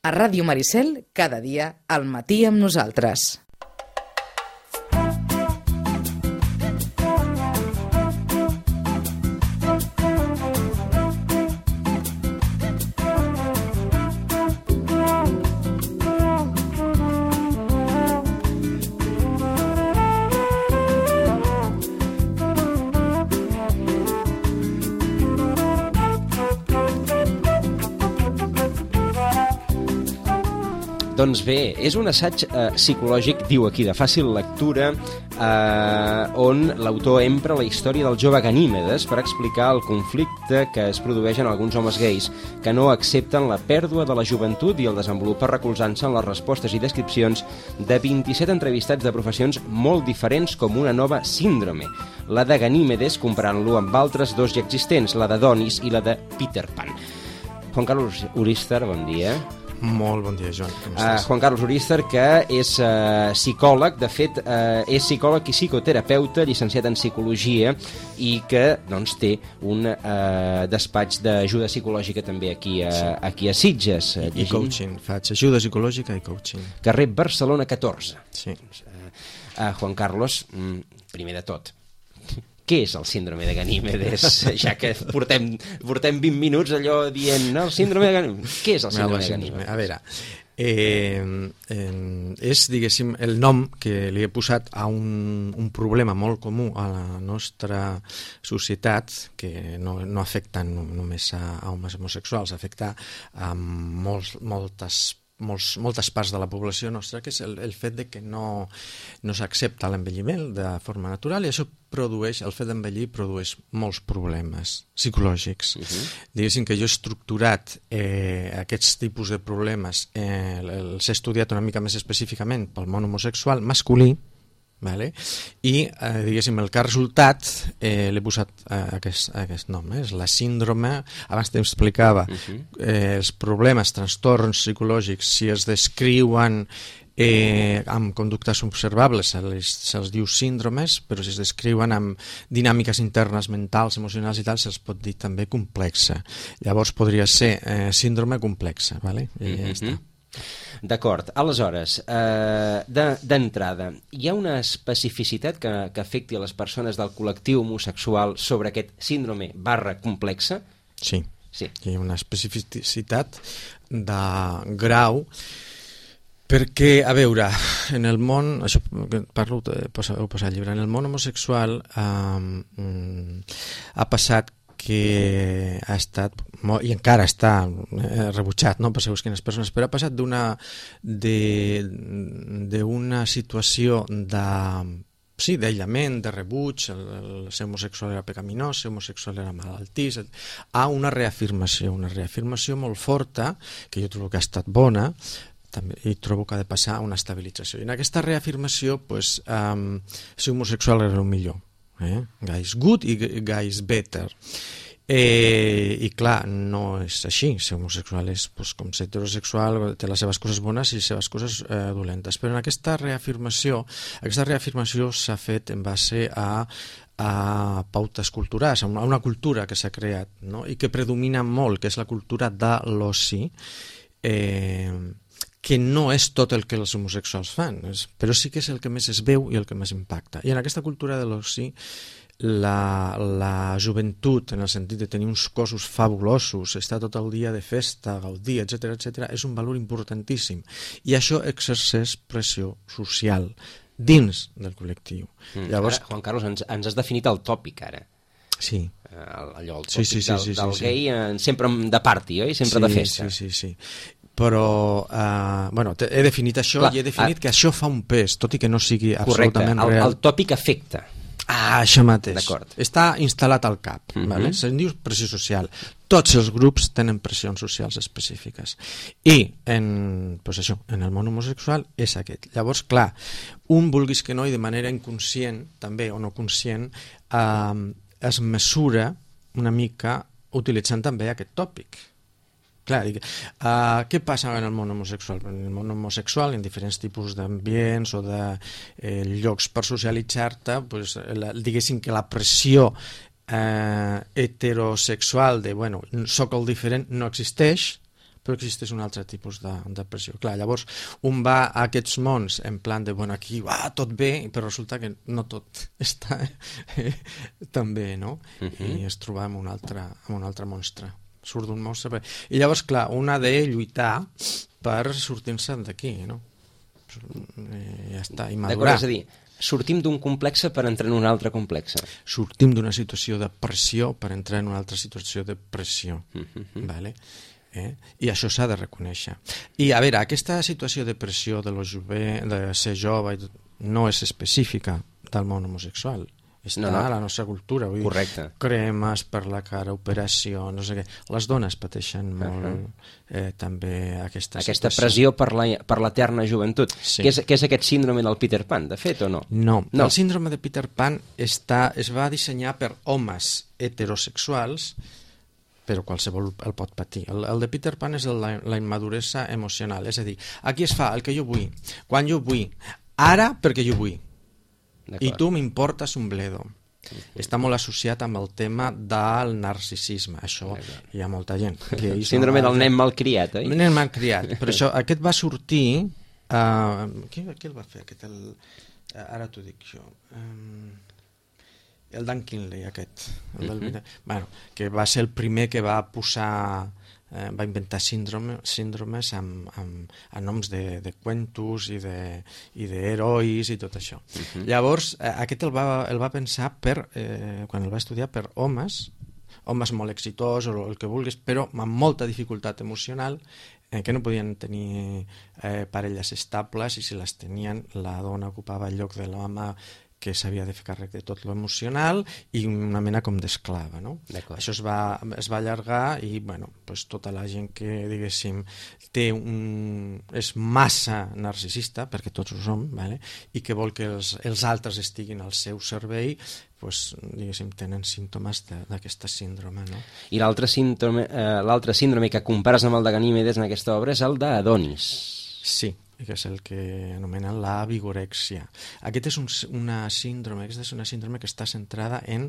A Ràdio Maricel, cada dia, al matí amb nosaltres. Doncs bé, és un assaig psicològic, diu aquí, de fàcil lectura, on l'autor empra la història del jove Ganímedes per explicar el conflicte que es produeix en alguns homes gais que no accepten la pèrdua de la joventut i el desenvolupa recolzant-se en les respostes i descripcions de 27 entrevistats de professions molt diferents com una nova síndrome, la de Ganímedes comparant-lo amb altres dos ja existents, la de Donis i la de Peter Pan. Juan Carlos Uríster, bon dia. Molt bon dia, Joan. Com estàs? Juan Carlos Uríster, que és psicòleg, de fet, és psicòleg i psicoterapeuta, llicenciat en psicologia, i que doncs, té un despatx d'ajuda psicològica també aquí a Sitges. I coaching, faig ajuda psicològica i coaching. Carrer Barcelona 14. Sí. Juan Carlos, primer de tot, què és el síndrome de Ganímedes? Ja que portem 20 minuts allò dient, no, el síndrome de Ganímedes. Què és el síndrome de Ganímedes? A veure, és, diguéssim, el nom que li he posat a un problema molt comú a la nostra societat, que no afecta només a homes homosexuals, afecta a moltes parts de la població nostra, que és el fet de que no s'accepta l'envelliment de forma natural, i això el fet d'envellir produeix molts problemes psicològics. Diguéssim que jo he estructurat aquests tipus de problemes, els he estudiat una mica més específicament pel món homosexual masculí, vale? I diguéssim el que ha resultat l'he posat aquest nom, és la síndrome. Abans t'explicava els problemes, trastorns psicològics, si es descriuen amb conductes observables se'ls diu síndromes, però si es descriuen amb dinàmiques internes mentals, emocionals i tal, se'ls pot dir també complexa. Llavors podria ser síndrome complexa, vale? I ja està. D'acord, aleshores, d'entrada, hi ha una especificitat que afecti a les persones del col·lectiu homosexual sobre aquest síndrome / complexa? Sí, hi ha una especificitat de grau, perquè, a veure, en el món, això parlo, ho posa al llibre, en el món homosexual ha passat que ha estat, i encara està rebutjat, no, per segons quines persones, però ha passat d'una situació d'aïllament, de rebuig, ser homosexual era pecaminós, ser homosexual era malaltís, a una reafirmació molt forta, que jo trobo que ha estat bona, i trobo que ha de passar a una estabilització. I en aquesta reafirmació, ser homosexual era el millor. Guys good i guys better. I clar, no és així. Ser homosexual és com ser heterosexual, té les seves coses bones i les seves coses dolentes. Però en aquesta reafirmació s'ha fet en base a pautes culturals, a una cultura que s'ha creat, no? I que predomina molt, que és la cultura de l'oci, que no és tot el que els homosexuals fan, però sí que és el que més es veu i el que més impacta. I en aquesta cultura de l'oci, la joventut, en el sentit de tenir uns cossos fabulosos, estar tot el dia de festa, gaudir, etc., és un valor importantíssim. I això exerceix pressió social dins del col·lectiu. Llavors, Juan Carlos, ens has definit el tòpic, ara. Sí. Allò, el tòpic del gay, sempre de party, oi? Sempre de festa. Sí. Però he definit això. Clar, i he definit que això fa un pes, tot i que no sigui absolutament real. El tòpic afecta. Això mateix. Està instal·lat al cap. Vale? Se'n diu pressió social. Tots els grups tenen pressions socials específiques. I en el món homosexual és aquest. Llavors, clar, vulguis que no, i de manera inconscient, també, o no conscient, es mesura una mica utilitzant també aquest tòpic. Clar, què passa en el món homosexual? En el món homosexual, en diferents tipus d'ambients o de llocs per socialitzar-te, diguéssim que la pressió heterosexual de, soc el diferent, no existeix, però existeix un altre tipus de pressió. Clar, llavors, un va a aquests mons en plan de, bueno, aquí tot bé, però resulta que no tot està tan bé, no? I es troba amb un altre monstre. Surt d'un monstre. I llavors, clar, un ha de lluitar per sortir-se d'aquí, no? Ja està, i madurar. D'acord, és a dir, sortim d'un complexe per entrar en un altre complexe. Sortim d'una situació de pressió per entrar en una altra situació de pressió. Vale? I això s'ha de reconèixer. I a veure, aquesta situació de pressió de ser jove no és específica del món homosexual. Està a la nostra cultura. Vull dir, cremes per la cara, operació, no sé què. Les dones pateixen molt també aquesta situació. Pressió per l'eterna joventut. Sí. Què és aquest síndrome del Peter Pan, de fet, o no? No. El síndrome de Peter Pan es va dissenyar per homes heterosexuals, però qualsevol el pot patir. El de Peter Pan és la immaduresa emocional, és a dir, aquí es fa el que jo vull, quan jo vull, ara perquè jo vull, i tu m'importes un bledo. Està molt associat amb el tema del narcisisme, això hi ha molta gent. Síndrome del nen malcriat, oi? Nen malcriat, però això, aquest va sortir... Qui el va fer? Ara t'ho dic jo... El Dan Kinley, aquest. Que va ser el primer que va posar... va inventar síndromes amb noms de cuentos i d'herois i tot això. Llavors, aquest el va pensar quan el va estudiar per homes molt exitosos o el que vulguis, però amb molta dificultat emocional, que no podien tenir parelles estables, i si les tenien, la dona ocupava el lloc de l'home, que s'havia de fer càrrec de tot lo emocional, i una mena com d'esclava, no? Això es va allargar, i bueno, pues tota la gent que, diguéssim, és massa narcisista, perquè tots ho som, vale? I que vol que els altres estiguin al seu servei, pues, diguéssim, tenen símptomes d'aquesta síndrome, no? I l'altre síndrome que compares amb el de Ganímedes en aquesta obra és el d'Adonis. Sí, que és el que anomenen la vigorèxia. Aquest és una síndrome que està centrada en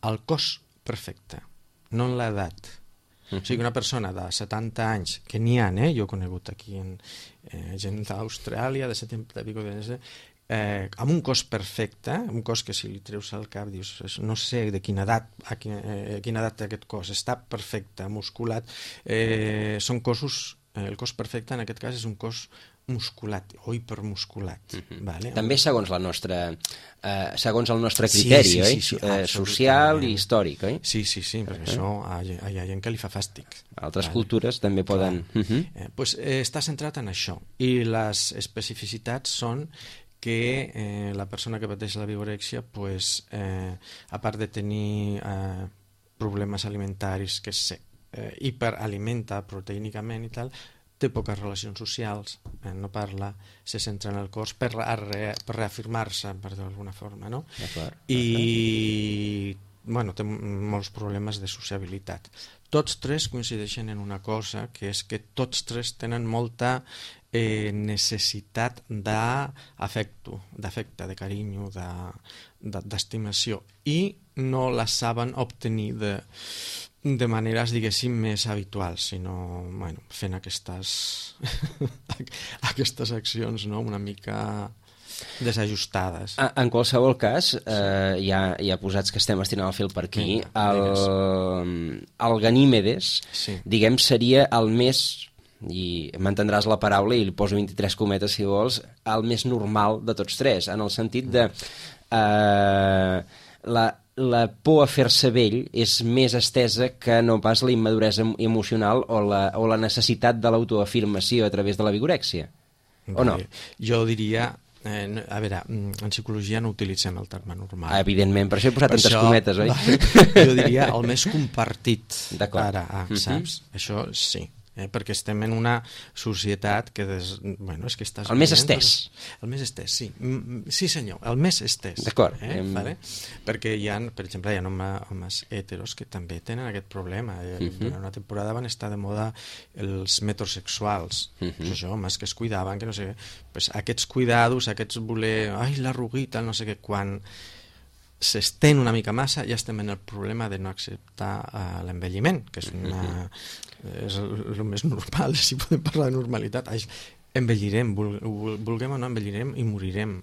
el cos perfecte, no en l'edat. O sigui, una persona de 70 anys, que n'hi ha, jo he conegut aquí gent d'Austràlia, de 70 i pico amb un cos perfecte, un cos que si li treus al cap dius, no sé de quina edat té aquest cos, està perfecte, musculat, són cossos, el cos perfecte en aquest cas és un cos musculat o hipermusculat. Vale? També segons el nostre criteri, oi? Social i històric, oi? Sí, perquè això hi ha gent que li fa fàstic. Altres cultures també poden... Està centrat en això, i les especificitats són que la persona que pateix la vigorèxia, a part de tenir problemes alimentaris, que hiperalimenta proteínicament i tal, té poques relacions socials, no parla, se centra en el cos per reafirmar-se, per dir d'alguna forma, no? I té molts problemes de sociabilitat. Tots tres coincideixen en una cosa, que és que tots tres tenen molta necessitat d'afecte, de carinyo, d'estimació, i no la saben obtenir de maneres, diguéssim, més habituals, sinó fent aquestes accions, no?, una mica desajustades. En qualsevol cas, ja posats que estem estirant el fil per aquí, el Ganímedes, diguem, seria el més, i m'entendràs la paraula i li poso 23 cometes si vols, el més normal de tots tres, en el sentit de la por a fer-se vell és més estesa que no pas la immaduresa emocional o la necessitat de l'autoafirmació a través de la vigorèxia, o no? Jo diria... A veure, en psicologia no utilitzem el terme normal. Evidentment, per això he posat tantes cometes, oi? Jo diria el més compartit. Ara, saps? Això sí. Perquè estem en una societat que... és que estàs... El més estès. El més estès, sí. Sí, senyor, el més estès. D'acord. Perquè hi ha, per exemple, hi ha homes heteros que també tenen aquest problema. Durant una temporada van estar de moda els metrosexuals. Això, homes que es cuidaven, que no sé què. Aquests cuidados, aquests voler... Ai, l'arruguita, no sé què, quan... s'estén una mica massa, ja estem en el problema de no acceptar l'envelliment, que és el més normal, si podem parlar de normalitat. Envellirem, vulguem o no, envellirem i morirem.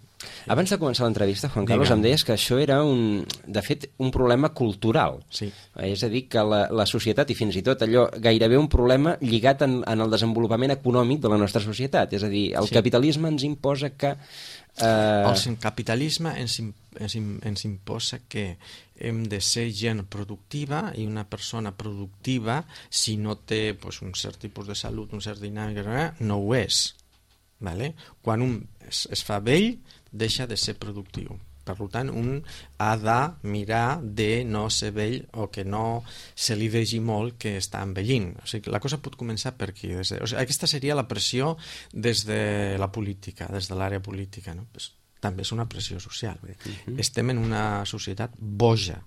Abans de començar l'entrevista, Juan Carlos, em deies que això era, de fet, un problema cultural. Sí. És a dir, que la societat, i fins i tot allò, gairebé un problema lligat en el desenvolupament econòmic de la nostra societat. És a dir, el capitalisme ens imposa que... El capitalisme ens imposa que hem de ser gent productiva, i una persona productiva, si no té un cert tipus de salut, un cert dinàmica, no ho és. Vale? Quan un es fa vell, deixa de ser productiu. Per tant, un ha de mirar de no ser vell o que no se li vegi molt que està envellint. O sigui, la cosa pot començar per aquí. Aquesta seria la pressió des de la política, des de l'àrea política. No? També és una pressió social. Estem en una societat boja.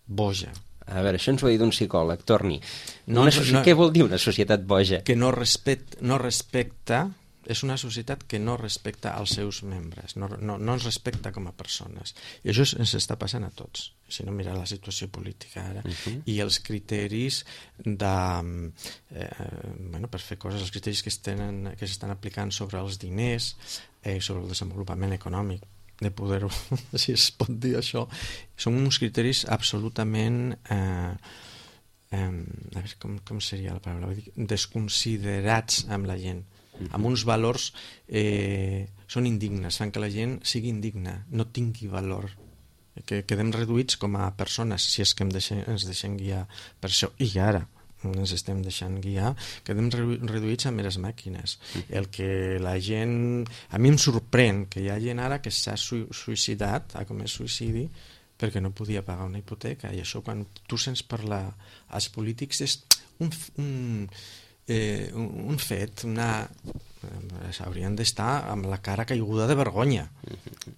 Boja. A veure, això ens ho ha dit un psicòleg, Torni. Què vol dir una societat boja? Que no respecta, és una societat que no respecta els seus membres, no ens respecta com a persones. I això ens està passant a tots, si no mira la situació política ara. I els criteris per fer coses, els criteris que s'estan aplicant sobre els diners, sobre el desenvolupament econòmic, de poder, si es pot dir això, són uns criteris absolutament a veure com seria la paraula, desconsiderats amb la gent, amb uns valors són indignes, fan que la gent sigui indigna, no tingui valor, que quedem reduïts com a persones, si és que ens deixem guiar per això. I ara ens estem deixant guiar, quedem reduïts a meres màquines. El que la gent... A mi em sorprèn que hi ha gent ara que s'ha suïcidat, ha comès suïcidi, perquè no podia pagar una hipoteca. I això, quan tu sents parlar als polítics, és un fet, haurien d'estar amb la cara caiguda de vergonya.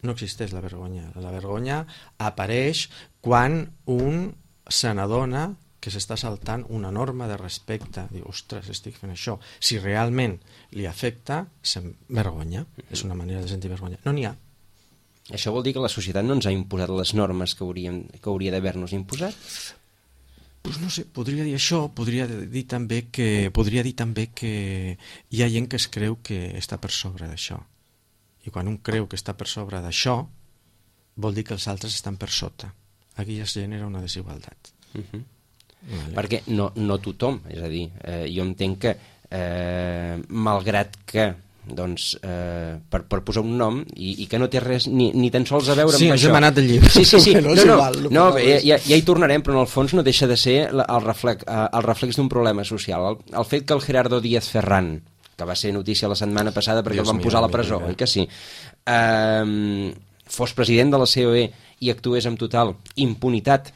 No existeix la vergonya. La vergonya apareix quan un se n'adona que s'està saltant una norma de respecte. Diu, ostres, estic fent això. Si realment li afecta, se'n vergonya. És una manera de sentir vergonya. No n'hi ha. Això vol dir que la societat no ens ha imposat les normes que hauria d'haver-nos imposat? Pues no sé, podria dir això, podria dir també que hi ha gent que es creu que està per sobre d'això. I quan un creu que està per sobre d'això, vol dir que els altres estan per sota. Aquí ja es genera una desigualtat. Vale. Perquè no tothom, és a dir, jo entenc que malgrat que per posar un nom i que no té res ni tan sols a veure amb això. Sí, ens hem anat del llibre. Sí. Ja hi tornarem, però en el fons no deixa de ser el reflex d'un problema social. El fet que el Gerardo Díaz Ferrán, que va ser notícia la setmana passada perquè el van posar a la presó, oi que sí, fos president de la COE i actués amb total impunitat,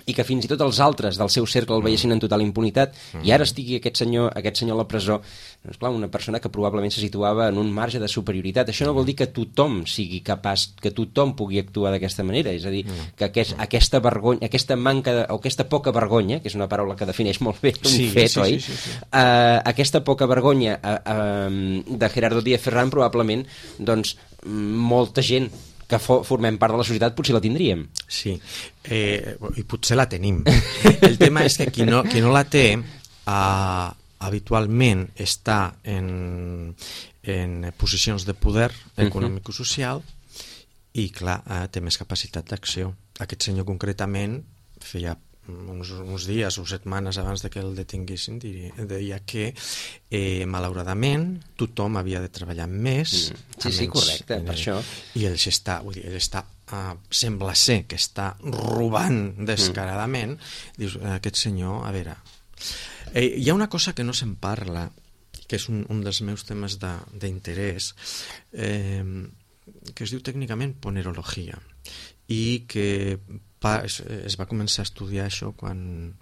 i que fins i tot els altres del seu cercle el veiessin en total impunitat, i ara estigui aquest senyor a la presó, doncs clar, una persona que probablement se situava en un marge de superioritat. Això no vol dir que tothom sigui capaç, que tothom pugui actuar d'aquesta manera, és a dir, que aquesta vergonya, aquesta manca o aquesta poca vergonya, que és una paraula que defineix molt bé un fet, oi? Aquesta poca vergonya de Gerardo Díaz Ferrán probablement, doncs, molta gent que formem part de la societat potser la tindríem. Sí, i potser la tenim. El tema és que qui no la té habitualment està en posicions de poder econòmic i social i, clar, té més capacitat d'acció. Aquest senyor concretament feia uns dies o setmanes abans de que el detinguessin deia que malauradament tothom havia de treballar més. Sí, correcte, per això. I ell està sembla ser que està robant descaradament. Dius, aquest senyor, a veure, hi ha una cosa que no se'n parla, que és un dels meus temes d'interès, que es diu tècnicament ponerologia, i que es va començar a estudiar això quan,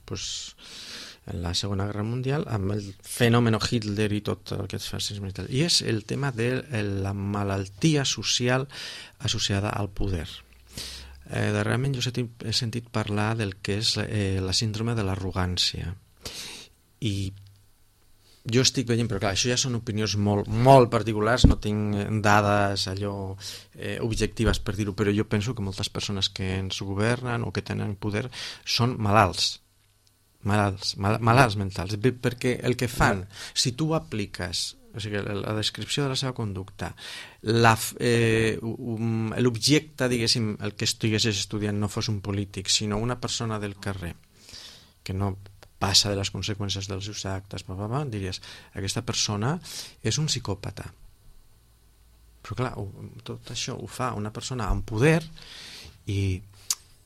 en la Segona Guerra Mundial, amb el fenomen Hitler i tot el que es fascisme i tal. I és el tema de la malaltia social associada al poder. Darrerament jo he sentit parlar del que és la síndrome de l'arrogància. I jo estic veient, però clar, això ja són opinions molt particulars, no tinc dades allò objectives per dir-ho, però jo penso que moltes persones que ens governen o que tenen poder són malalts mentals, perquè el que fan, si tu apliques, o sigui, la descripció de la seva conducta, l'objecte, diguéssim, el que estiguessis estudiant no fos un polític, sinó una persona del carrer, que no passa de les conseqüències dels seus actes, diries, aquesta persona és un psicòpata. Però clar, tot això ho fa una persona amb poder i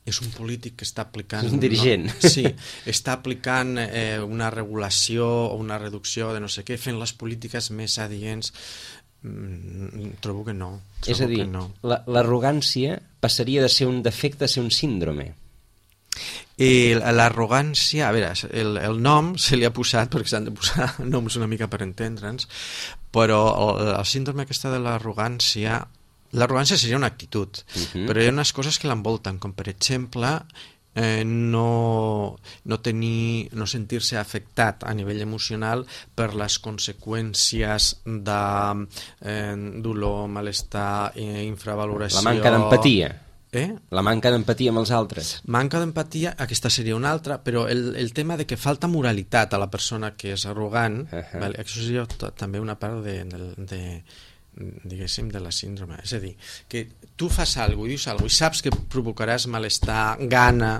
és un polític que està aplicant... És un dirigent. No? Sí, està aplicant una regulació o una reducció de no sé què, fent les polítiques més adients. Trobo que no. És a dir, l'arrogància passaria de ser un defecte a ser un síndrome. L'arrogància, a veure, el nom se li ha posat perquè s'han de posar noms una mica per entendre'ns, però el síndrome aquesta de l'arrogància seria una actitud, però hi ha unes coses que l'envolten, com per exemple no sentir-se afectat a nivell emocional per les conseqüències de dolor, malestar, infravaloració... La manca d'empatia. La manca d'empatia amb els altres. Manca d'empatia, aquesta seria una altra, però el tema de que falta moralitat a la persona que és arrogant, vale, això seria també una part diguéssim, de la síndrome. És a dir, que tu fas alguna cosa, dius alguna cosa, i saps que provocaràs malestar, gana,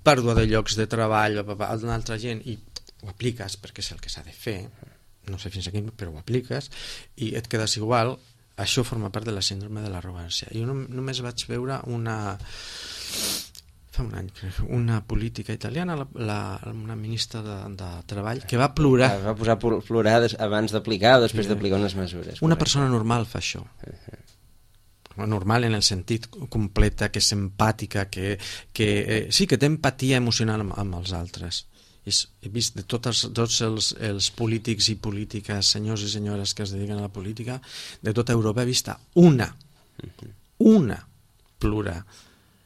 pèrdua de llocs de treball a una altra gent, i ho apliques perquè és el que s'ha de fer, no sé fins a quin, però ho apliques, i et quedes igual. Això forma part de la síndrome de l'arrogància. Jo només vaig veure fa un any, una política italiana, una ministra de Treball, que va plorar. Va posar a plorar abans d'aplicar o després d'aplicar unes mesures. Una persona normal fa això. Normal en el sentit completa, que és empàtica, que sí, que té empatia emocional amb els altres. He vist de tots els polítics i polítiques, senyors i senyores que es dediquen a la política, de tota Europa he vist una plorar.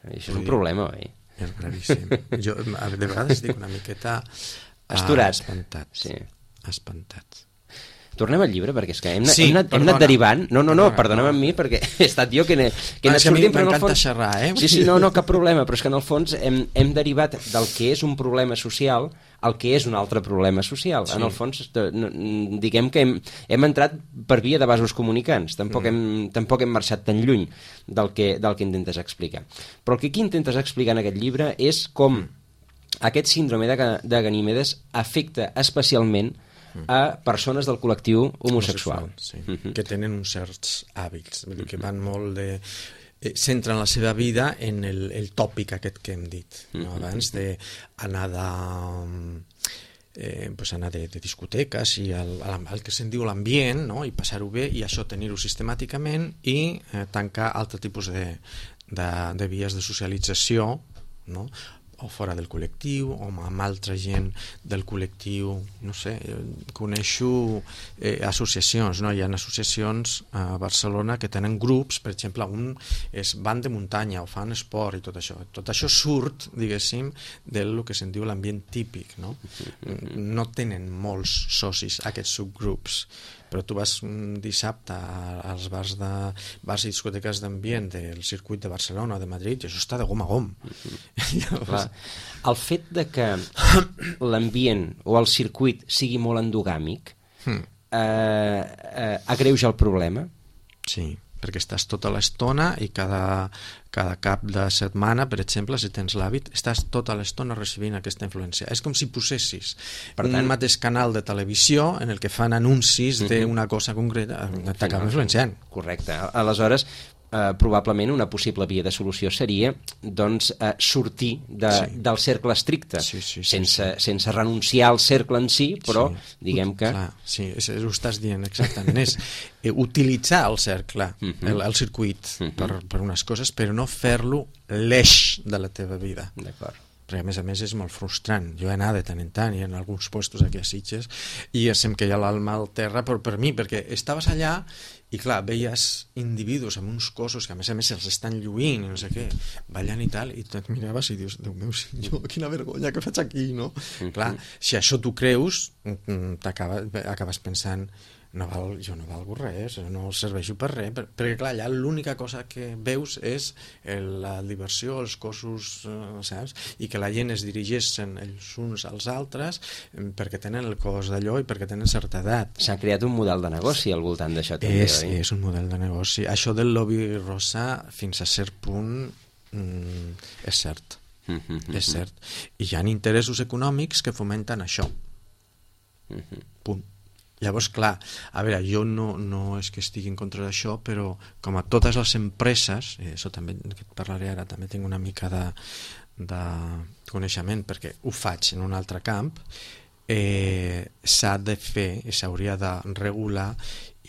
Això és un problema, oi? És gravíssim. Jo de vegades estic una miqueta espantat. Sí. Espantat. Tornem al llibre, perquè és que hem anat derivant. No, perdona'm amb mi, perquè he estat jo que n'he sortit, però en el fons... xerrar, Sí, no, cap problema, però és que en el fons hem derivat del que és un problema social al que és un altre problema social. Sí. En el fons, diguem que hem entrat per via de vasos comunicants, tampoc hem marxat tan lluny del que intentes explicar. Però el que aquí intentes explicar en aquest llibre és com aquest síndrome de Ganímedes afecta especialment a persones del col·lectiu homosexual. Sí. Que tenen uns certs hàbits, que van molt de... centren la seva vida en el tòpic aquest que hem dit, no? Abans d'anar anar de discoteques i el que se'n diu l'ambient, no? I passar-ho bé, i això tenir-ho sistemàticament, i tancar altre tipus de vies de socialització, no? O fora del col·lectiu, o amb altra gent del col·lectiu, no sé, coneixo associacions, no? Hi ha associacions a Barcelona que tenen grups, per exemple, van de muntanya o fan esport i tot això. Tot això surt, diguéssim, del que se'n diu l'ambient típic, no? No tenen molts socis aquests subgrups, però tu vas un dissabte als bars i discoteques d'ambient del circuit de Barcelona o de Madrid i això està de gom a gom. El fet de que l'ambient o el circuit sigui molt endogàmic agreuja el problema? Sí, perquè estàs tota l'estona i cada cap de setmana, per exemple, si tens l'hàbit, estàs tota l'estona recibint aquesta influència. És com si posessis un mateix canal de televisió en el que fan anuncis d'una cosa concreta, t'acaba influenciant. Correcte. Aleshores, probablement una possible via de solució seria sortir del cercle estricte, sense renunciar al cercle en si, però diguem que... Sí, ho estàs dient exactament, és utilitzar el cercle, el circuit per unes coses, però no fer-lo l'eix de la teva vida. D'acord. perquè a més és molt frustrant. Jo he anat de tant en tant i en alguns puestos aquí a Sitges i sem que hi ha l'alma al terra per mi, perquè estaves allà i clar, veies individus amb uns cossos que a més els estan lluint i no sé què, ballant i tal, i tu et miraves i dius, Déu meu senyor, quina vergonya que faig aquí, no? Clar, si això tu creus, acabes pensant jo no valgo res, no serveixo per res, perquè clar, allà l'única cosa que veus és la diversió, els cossos, saps? I que la gent es dirigeix els uns als altres perquè tenen el cos d'allò i perquè tenen certa edat. S'ha creat un model de negoci al voltant d'això també, oi? És un model de negoci. Això del lobby rosa, fins a cert punt, és cert. És cert. I hi ha interessos econòmics que fomenten això. Punt. Llavors, clar, a veure, jo no és que estigui en contra d'això, però com a totes les empreses, això també que et parlaré ara, també tinc una mica de coneixement perquè ho faig en un altre camp, s'ha de fer i s'hauria de regular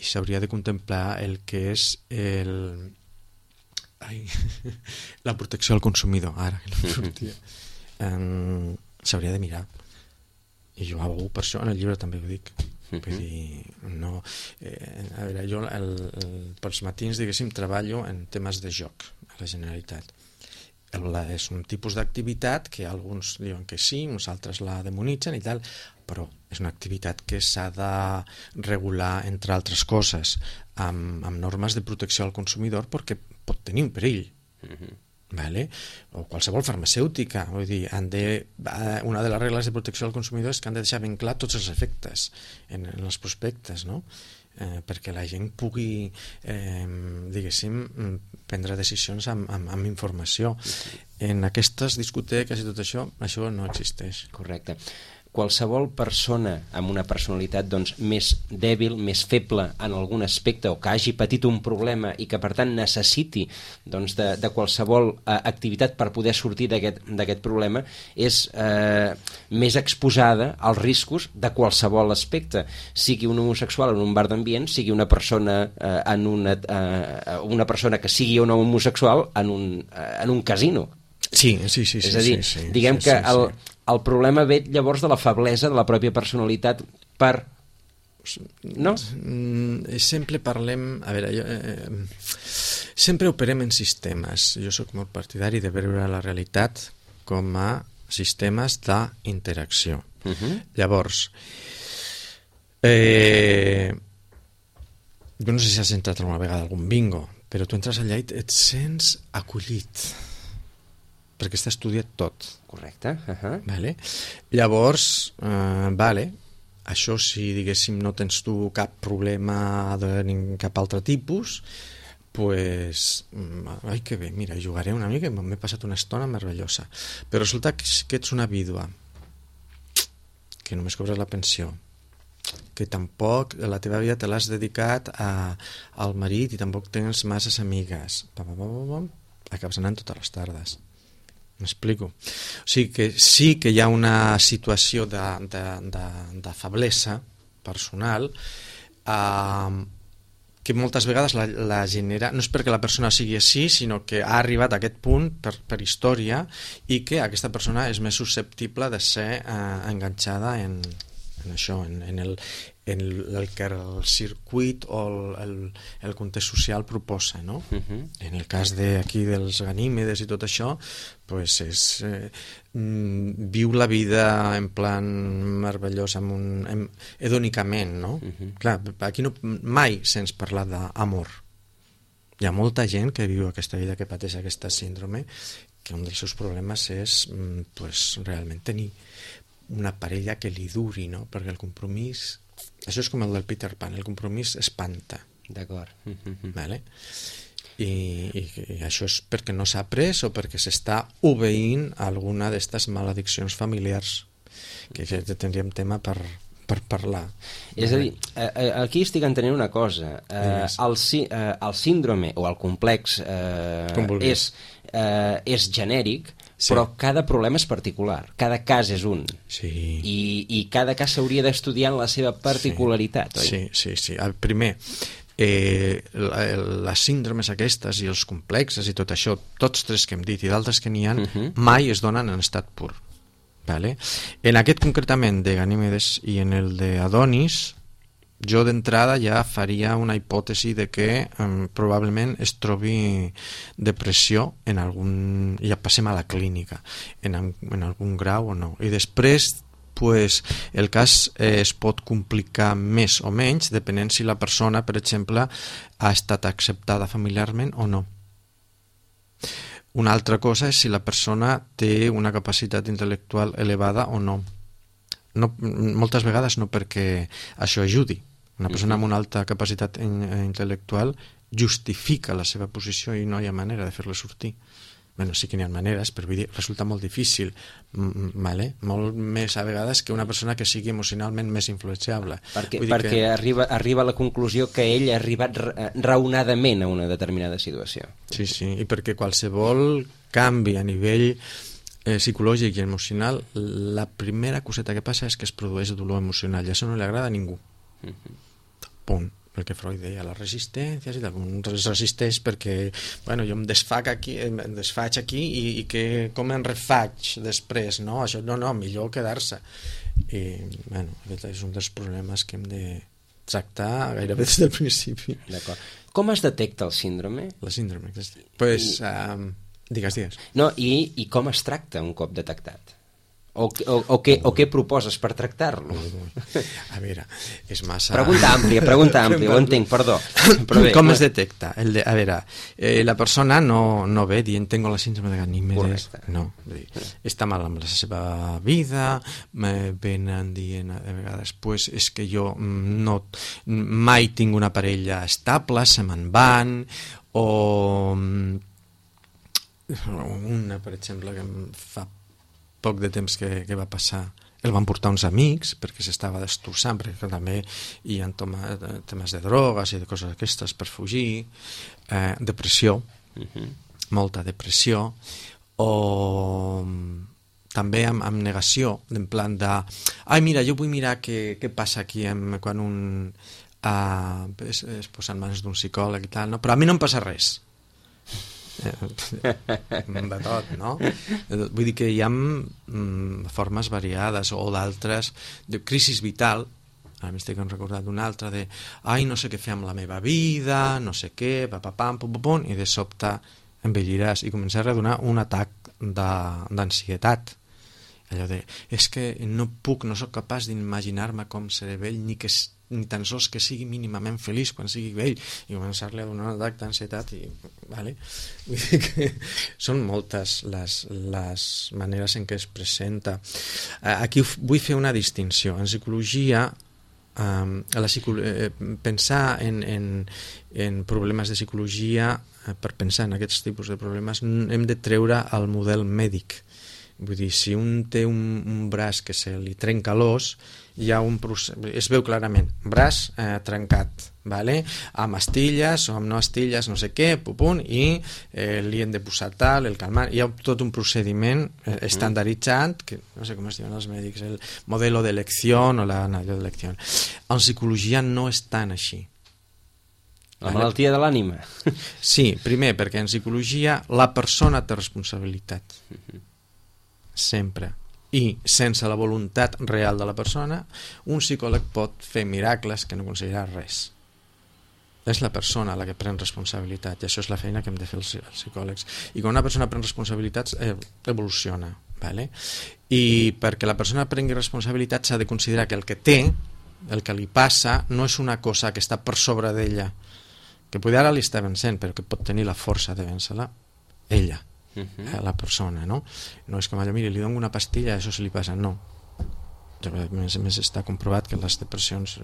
i s'hauria de contemplar el que és la protecció al consumidor, ara que no sortia. S'hauria de mirar. I jo abogo per això, en el llibre també ho dic. Vull dir, no, a veure, jo pels matins, diguéssim, treballo en temes de joc a la Generalitat. És un tipus d'activitat que alguns diuen que sí, uns altres la demonitzen i tal, però és una activitat que s'ha de regular, entre altres coses, amb normes de protecció al consumidor perquè pot tenir un perill. Vale? O qualsevol farmacèutica, vull dir, una de les regles de protecció al consumidor és que han de deixar ben clar tots els efectes en els prospectes, no? Perquè la gent pugui diguéssim prendre decisions amb informació. En aquestes discoteques i tot això no existeix. Correcte. Qualsevol persona amb una personalitat doncs, més dèbil, més feble en algun aspecte o que hagi patit un problema i que per tant necessiti doncs, de qualsevol activitat per poder sortir d'aquest problema és més exposada als riscos de qualsevol aspecte, sigui un homosexual en un bar d'ambient, sigui una persona una persona que sigui un homosexual en un casino. Sí. És a dir, diguem que el problema ve llavors de la feblesa de la pròpia personalitat per... No? Sempre parlem... A veure, sempre operem en sistemes. Jo sóc molt partidari de veure la realitat com a sistemes d'interacció. Llavors, jo no sé si has entrat alguna vegada a algun bingo, però tu entres allà i et sents acollit, perquè està estudiat tot. Correcte. Vale? Llavors, això si diguéssim no tens tu cap problema de cap altre tipus, pues, ai que bé, mira, jugaré una mica i m'he passat una estona meravellosa. Però resulta que ets una vídua, que només cobres la pensió, que tampoc la teva vida te l'has dedicat al marit i tampoc tens masses amigues. Acabes anant totes les tardes. M'explico? O sigui que sí que hi ha una situació de feblesa personal que moltes vegades la genera, no és perquè la persona sigui així, sinó que ha arribat a aquest punt per història i que aquesta persona és més susceptible de ser enganxada en això, en el que el circuit o el context social proposa, no? En el cas d'aquí dels Ganímedes i tot això, pues viu la vida en plan meravellós, hedònicament, no? Clar, aquí mai sents parlar d'amor. Hi ha molta gent que viu aquesta vida, que pateix aquesta síndrome, que un dels seus problemes és realment tenir una parella que li duri, no? Perquè el compromís, això és com el del Peter Pan, el compromís espanta. D'acord. Vale? I això és perquè no s'ha après o perquè s'està obeint alguna d'aquestes malediccions familiars, que tindríem tema per parlar. És a dir, aquí estic entenent una cosa. El síndrome o el complex és genèric, sí, però cada problema és particular, cada cas és un, sí, i cada cas s'hauria d'estudiar en la seva particularitat, sí, oi? Sí. Primer, les síndromes aquestes i els complexes i tot això, tots tres que hem dit i d'altres que n'hi ha, mai es donen en estat pur. Vale? En aquest concretament de Ganímedes i en el d'Adonis, jo d'entrada ja faria una hipòtesi de que probablement es trobi depressió en algun... ja passem a la clínica, en algun grau o no. I després pues, el cas es pot complicar més o menys depenent si la persona, per exemple, ha estat acceptada familiarment o no. Una altra cosa és si la persona té una capacitat intel·lectual elevada o no. Moltes vegades no perquè això ajudi. Una persona amb una alta capacitat intel·lectual justifica la seva posició i no hi ha manera de fer-la sortir. Bueno, sí que n'hi ha maneres, però vull dir, resulta molt difícil, vale? Molt més a vegades que una persona que sigui emocionalment més influenciable. Perquè arriba a la conclusió que ell ha arribat raonadament a una determinada situació. Sí, i perquè qualsevol canvi a nivell psicològic i emocional, la primera coseta que passa és que es produeix dolor emocional i això no li agrada a ningú. Punt. El que Freud deia, les resistències i algun es resisteix perquè bueno, jo em desfaig aquí i que, com em refaig després, no? Això no, millor quedar-se. I bueno, aquest és un dels problemes que hem de tractar gairebé des del principi. D'acord. Com es detecta el síndrome? La síndrome, pues, digues. No, i com es tracta un cop detectat? O què proposes per tractar-lo? A veure, és massa... Pregunta àmplia, ho entenc, perdó. Bé, com es detecta? A veure, la persona no ve dient tengo la síndrome de Ganímedes. No, està mal amb la seva vida, venen dient a vegades pues, és que jo mai tinc una parella estable, se me'n van, o una, per exemple, que em fa poc de temps que va passar, el van portar uns amics perquè s'estava destrossant, perquè també hi ha temes de drogues i de coses aquestes per fugir, depressió, molta depressió, o també amb negació, en plan de mira, jo vull mirar què passa aquí quan un es posa en mans d'un psicòleg i tal, no? Però a mi no em passa res. De tot, no? Vull dir que hi ha formes variades o d'altres de crisis vital. Ara m'estic recordant d'una altra de no sé què fer amb la meva vida, no sé què, pum, i de sobte envelliràs i començar a donar un atac d'ansietat. Allò de, és que no sóc capaç d'imaginar-me com seré vell ni tan sols que sigui mínimament feliç quan sigui vell, i començar-li a donar un atac d'ansietat vale? Vull dir que són moltes les maneres en què es presenta. Aquí vull fer una distinció. En psicologia, pensar en problemes de psicologia, per pensar en aquests tipus de problemes hem de treure el model mèdic. Vull dir, si un té un braç que se li trenca l'os, hi ha un procés, es veu clarament, braç trencat, vale? Amb astilles o amb no astilles, no sé què, i li hem de posar tal, el calmant, hi ha tot un procediment estandarditzat, que no sé com es diuen els mèdics, el modelo de elecció o l'anàlisi d'elecció. En psicologia no és tan així. La malaltia de l'ànima. Sí, primer, perquè en psicologia la persona té responsabilitat. Sempre. I sense la voluntat real de la persona, un psicòleg pot fer miracles que no aconseguirà res. És la persona la que pren responsabilitat, i això és la feina que hem de fer els psicòlegs. I quan una persona pren responsabilitats, evoluciona. Vale? I perquè la persona prengui responsabilitat s'ha de considerar que el que té, el que li passa, no és una cosa que està per sobre d'ella, que potser ara li està vencent, però que pot tenir la força de vèncer-la ella. La persona, no? No és com allò, mira, li dono una pastilla, això se li passa, no. A més està comprovat que les depressions,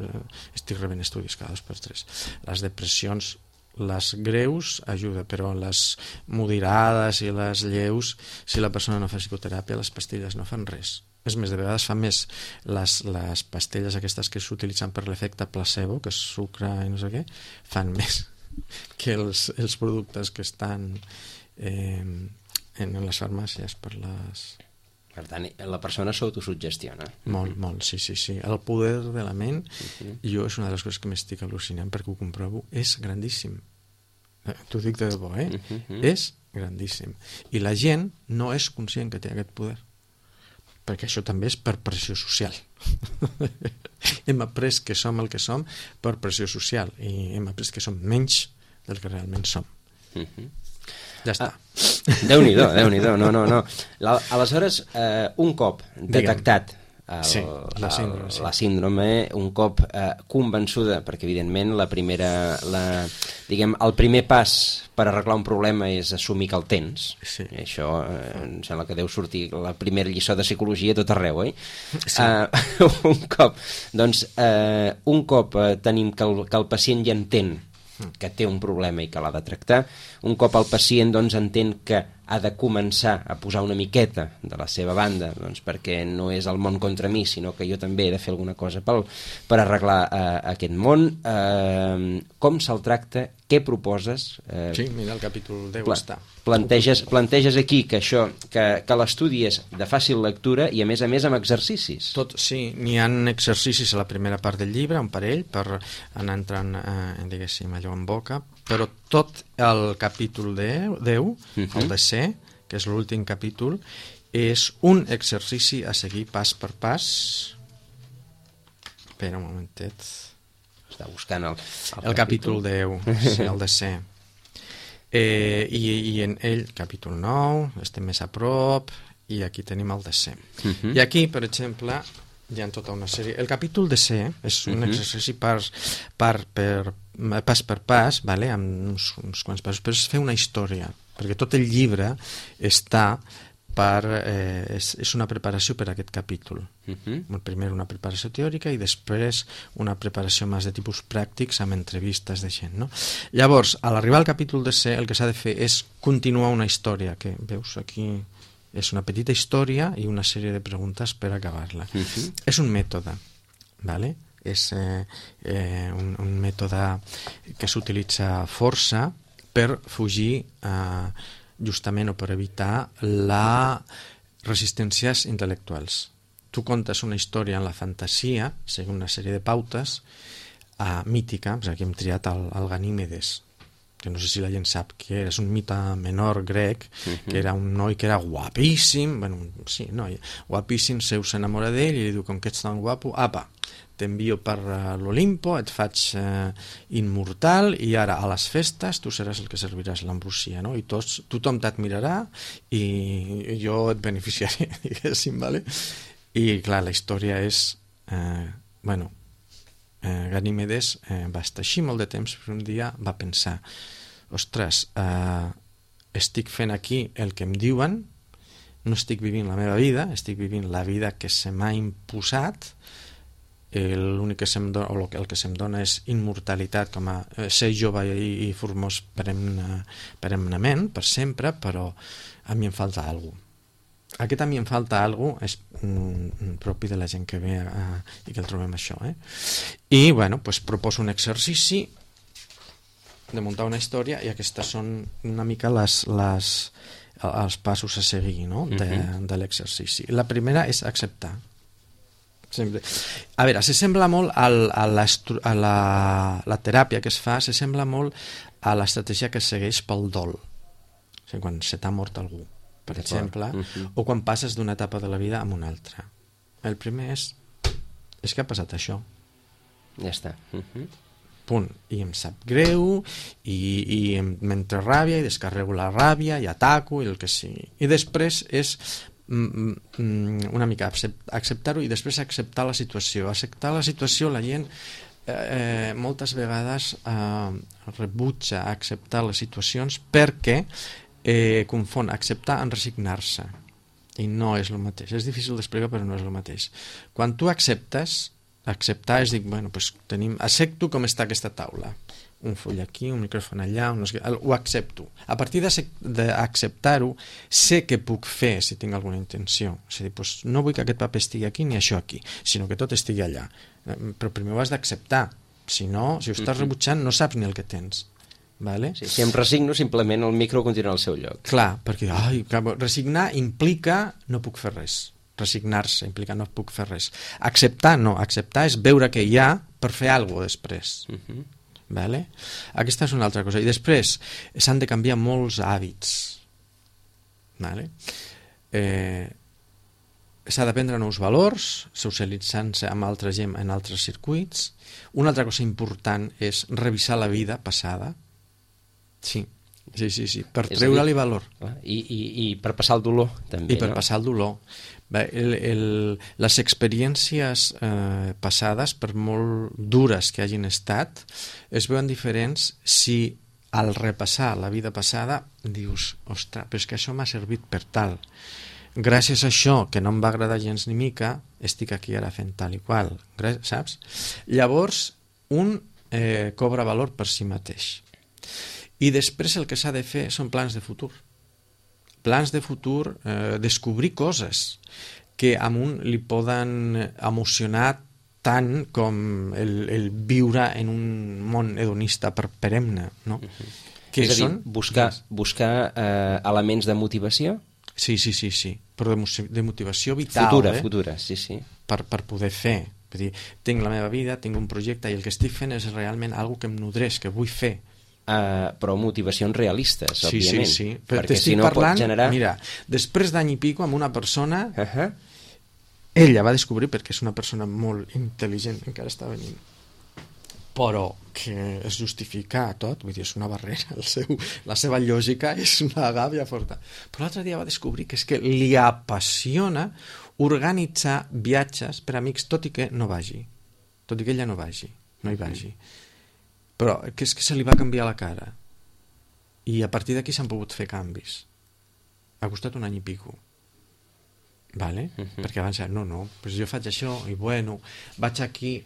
estic rebent estudis cada 2x3, les depressions, les greus ajuda, però les moderades i les lleus, si la persona no fa psicoteràpia, les pastilles no fan res. És més, de vegades fa més les pastilles aquestes que s'utilitzen per l'efecte placebo, que és sucre i no sé què, fan més que els productes que estan en les farmàcies per Per tant, la persona s'autosugestiona. Molt, molt, sí. El poder de la ment, jo és una de les coses que m'estic al·lucinant perquè ho comprovo, és grandíssim. T'ho dic de debò, És grandíssim. I la gent no és conscient que té aquest poder. Perquè això també és per pressió social. Hem après que som el que som per pressió social i hem après que som menys del que realment som. Ja està. Déu-n'hi-do, Déu-n'hi-do. No. Aleshores, un cop detectat la síndrome, un cop convençuda, perquè evidentment el primer pas per arreglar un problema és assumir que el tens. Sí. I això em sembla que deu sortir la primera lliçó de psicologia a tot arreu, oi? Sí. Un cop tenim que el pacient ja entén que té un problema i que l'ha de tractar, un cop el pacient entén que ha de començar a posar una miqueta de la seva banda, perquè no és el món contra mi, sinó que jo també he de fer alguna cosa per arreglar aquest món. Com se'l tracta? Què proposes? Sí, mira, el capítol 10 està. Planteges aquí que l'estudi és de fàcil lectura i a més amb exercicis. Sí, n'hi ha exercicis a la primera part del llibre, un parell, per anar entrant, diguéssim, allò en boca, però tot el capítol 10, el desè, que és l'últim capítol, és un exercici a seguir pas per pas. Espera un momentet. Està buscant el capítol 10, sí, el desè. I en ell, capítol 9, estem més a prop, i aquí tenim el desè. I aquí, per exemple, hi ha tota una sèrie. El capítol desè és un exercici pas per pas, vale? Amb uns quants passos, però és fer una història, perquè tot el llibre està és una preparació per a aquest capítol. Primer una preparació teòrica i després una preparació més de tipus pràctics amb entrevistes de gent, no? Llavors, a l'arribar al capítol desè, el que s'ha de fer és continuar una història, que veus aquí és una petita història i una sèrie de preguntes per acabar-la. És un mètode, vale? És un mètode que s'utilitza força per fugir justament o per evitar les resistències intel·lectuals. Tu contes una història en la fantasia, segons una sèrie de pautes, mítica, aquí hem triat el Ganímedes, que no sé si la gent sap què era, és un mite menor grec, que era un noi que era guapíssim, guapíssim, Zeus s'enamora d'ell i li diu, com que ets tan guapo, apa, t'envio per l'Olimpo, et faig immortal i ara a les festes tu seràs el que serviràs l'ambrosia, no? I tothom t'admirarà i jo et beneficiaré, diguéssim, vale? I clar, la història és Ganímedes va estar així molt de temps, però un dia va pensar, ostres, estic fent aquí el que em diuen, no estic vivint la meva vida, estic vivint la vida que se m'ha imposat, l'únic que se'm dona, o el que se'm dona és immortalitat, com a ser jove i formós perennament, per sempre, però a mi em falta alguna cosa. Aquest a mi em falta alguna cosa és propi de la gent que ve i que el trobem això. I, proposo un exercici de muntar una història i aquestes són una mica els passos a seguir, no? de l'exercici. La primera és acceptar. Sempre. A veure, s'assembla molt a la teràpia que es fa, s'assembla molt a l'estratègia que es segueix pel dol. O sigui, quan se t'ha mort algú, per exemple, o quan passes d'una etapa de la vida a una altra. El primer és que ha passat això. Ja està. Punt. I em sap greu, i m'entra ràbia, i descarrego la ràbia, i ataco, i el que sigui. I després és una mica acceptar-ho i després acceptar la situació. Acceptar la situació, la gent moltes vegades rebutja acceptar les situacions perquè confon acceptar amb resignar-se, i no és el mateix. És difícil d'explicar, però no és el mateix. Quan tu acceptes, acceptar és dir, accepto com està aquesta taula, un full aquí, un micròfon allà, ho accepto. A partir d'acceptar-ho, sé què puc fer si tinc alguna intenció. És a dir, no vull que aquest paper estigui aquí ni això aquí, sinó que tot estigui allà. Però primer ho has d'acceptar. Si no, si ho estàs rebutjant, no saps ni el que tens. Vale? Sí, si em resigno, simplement el micro continuarà al seu lloc. Clar, perquè resignar implica no puc fer res. Resignar-se implica no puc fer res. Acceptar, no. Acceptar és veure què hi ha per fer alguna cosa després. Vale? Aquesta és una altra cosa. I després s'han de canviar molts hàbits. Vale? S'ha d'aprendre nous valors, socialitzant-se amb altra gent en altres circuits. Una altra cosa important és revisar la vida passada. Sí, per treure-li valor. I per passar el dolor, també. I per passar el dolor. Bé, les experiències passades, per molt dures que hagin estat, es veuen diferents si al repassar la vida passada dius, ostres, però és que això m'ha servit per tal. Gràcies a això, que no em va agradar gens ni mica, estic aquí ara fent tal i qual, saps? Llavors, un cobra valor per si mateix. I després el que s'ha de fer són plans de futur. Plans de futur, descobrir coses que a un li poden emocionar tant com el viure en un món hedonista perenne, no? És a dir, buscar elements de motivació? Sí, però de motivació vital. Futura, sí. Per poder fer. Vull dir, tinc la meva vida, tinc un projecte i el que estic fent és realment algo que em nodreix, que vull fer. Però motivacions realistes, òbviament. Sí. Perquè si no pot generar... Mira, després d'any i pico amb una persona, ella va descobrir, perquè és una persona molt intel·ligent, encara està venint, però que es justifica tot, vull dir, és una barrera, la seva lògica és una gàbia forta. Però l'altre dia va descobrir que és que li apassiona organitzar viatges per amics, tot i que no vagi, tot i que ella no hi vagi. Però que és que se li va canviar la cara i a partir d'aquí s'han pogut fer canvis. Ha costat un any i pico, vale? Perquè abans pues jo faig això i vaig aquí,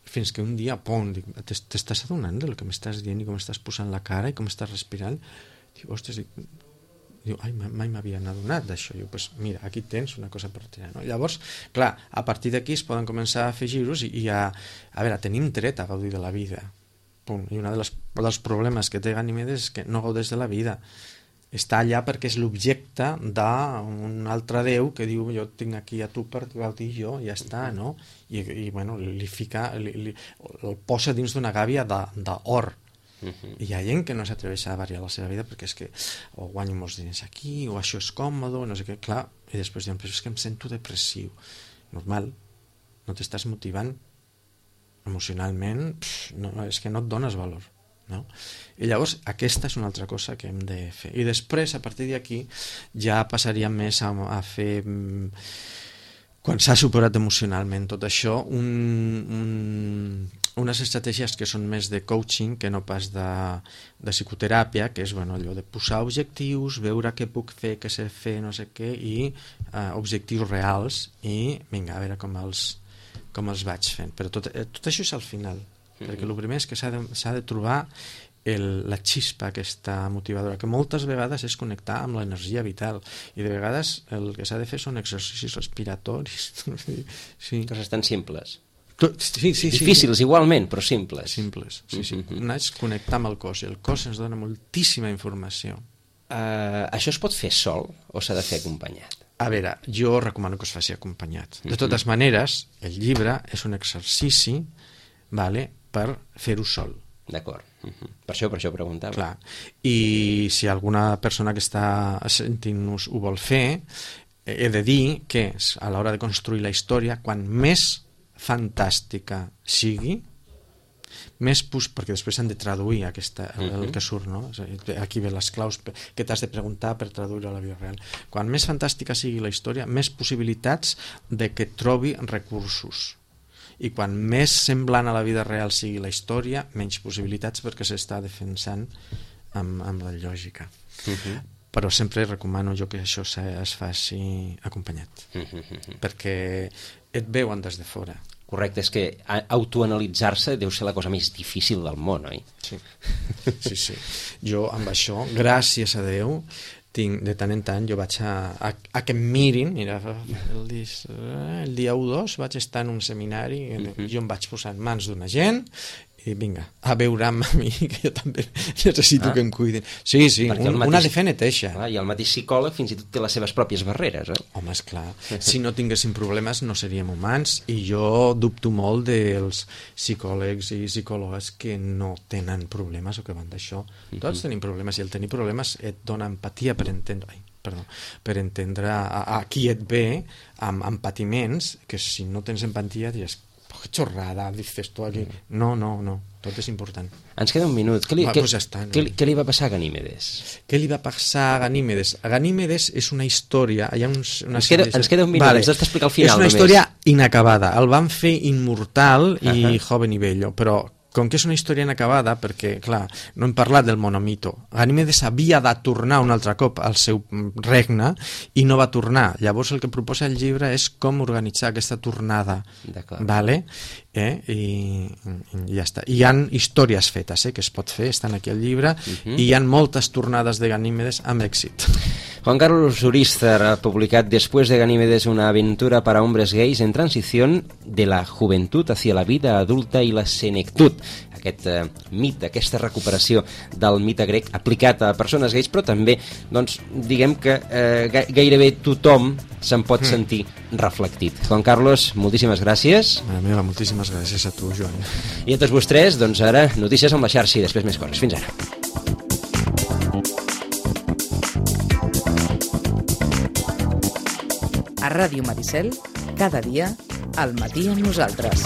fins que un dia t'estàs adonant del que m'estàs dient i com estàs posant la cara i com estàs respirant. Diu, ostres, mai m'havia adonat d'això. Pues mira, aquí tens una cosa per tirar, no? Llavors, clar, a partir d'aquí es poden començar a fer giros i a tenim dret a gaudir de la vida. Punt. I un dels problemes que té Ganimedes és que no gaudeix de la vida. Està allà perquè és l'objecte d'un altre déu que diu jo tinc aquí a tu per gaudir jo, ja està, no? I bueno, el posa dins d'una gàbia d'or. I hi ha gent que no s'atreveix a variar la seva vida perquè és que o guanyo molts diners aquí o això és còmode, no sé què, clar, i després diuen, però és que em sento depressiu. Normal, no t'estàs motivant emocionalment, és que no et dones valor, no? I llavors aquesta és una altra cosa que hem de fer. I després, a partir d'aquí, ja passaríem més a fer, quan s'ha superat emocionalment tot això, unes estratègies que són més de coaching que no pas de psicoteràpia, que és allò de posar objectius, veure què puc fer, què sé fer, no sé què, i objectius reals, i vinga, a veure com els vaig fent. Però tot això és al final, perquè el primer és que s'ha de trobar la xispa aquesta motivadora, que moltes vegades és connectar amb l'energia vital, i de vegades el que s'ha de fer són exercicis respiratoris. Coses tan simples. Difícils igualment, però simples. Anar és connectar amb el cos, i el cos ens dona moltíssima informació. Això es pot fer sol o s'ha de fer acompanyat? A veure, jo recomano que es faci acompanyat. De totes maneres, el llibre és un exercici per fer-ho sol. D'acord. Per això preguntava. Clar. I si alguna persona que està sentint-nos ho vol fer, he de dir que a l'hora de construir la història, quan més fantàstica sigui, perquè després s'han de traduir el que surt, no? Aquí ve les claus que t'has de preguntar per traduir a la vida real. Quan més fantàstica sigui la història, més possibilitats de que trobi recursos. I quan més semblant a la vida real sigui la història, menys possibilitats perquè s'està defensant amb la lògica. Però sempre recomano jo que això es faci acompanyat, perquè et veuen des de fora. Correcte, és que autoanalitzar-se deu ser la cosa més difícil del món, oi? Sí. Jo amb això, gràcies a Déu, de tant en tant jo vaig a que em mirin. Mira, el dia 1-2 vaig estar en un seminari, jo em vaig posar en mans d'una gent vinga, a veure amb mi, que jo també necessito que em cuidin. Sí, una de fer neteja. I el mateix psicòleg fins i tot té les seves pròpies barreres. Home, esclar, si no tinguéssim problemes no seríem humans, i jo dubto molt dels psicòlegs i psicòlogues que no tenen problemes o que van d'això. Tots tenim problemes, i el tenir problemes et dona empatia per entendre a qui et ve amb patiments, que si no tens empatia dius, que xorrada, dices tu aquí. No, tot és important. Ens queda un minut. Què li va passar a Ganímedes? Què li va passar a Ganímedes? Ganímedes és una història... Ens queda un minut, ens has d'explicar al final. És una història inacabada. El van fer immortal i joven i bello, però com que és una història inacabada, perquè, clar, no hem parlat del monomito. Ganímedes havia de tornar un altre cop al seu regne i no va tornar. Llavors el que proposa el llibre és com organitzar aquesta tornada. Vale? I ja està. Hi ha històries fetes que es pot fer, estan aquí al llibre, i hi ha moltes tornades de Ganímedes amb èxit. Juan Carlos Urizar ha publicat Después de Ganímedes, una aventura para hombres gays en transición de la juventud hacia la vida adulta i la senectud. Aquest mite, aquesta recuperació del mite grec aplicat a persones gais, però també, doncs, diguem que gairebé tothom se'n pot sentir reflectit. Juan Carlos, moltíssimes gràcies. Moltíssimes gràcies a tu, Joan. I a tots vostès, doncs ara, notícies amb la xarxa i després més coses. Fins ara. A Ràdio Maricel, cada dia, al matí amb nosaltres.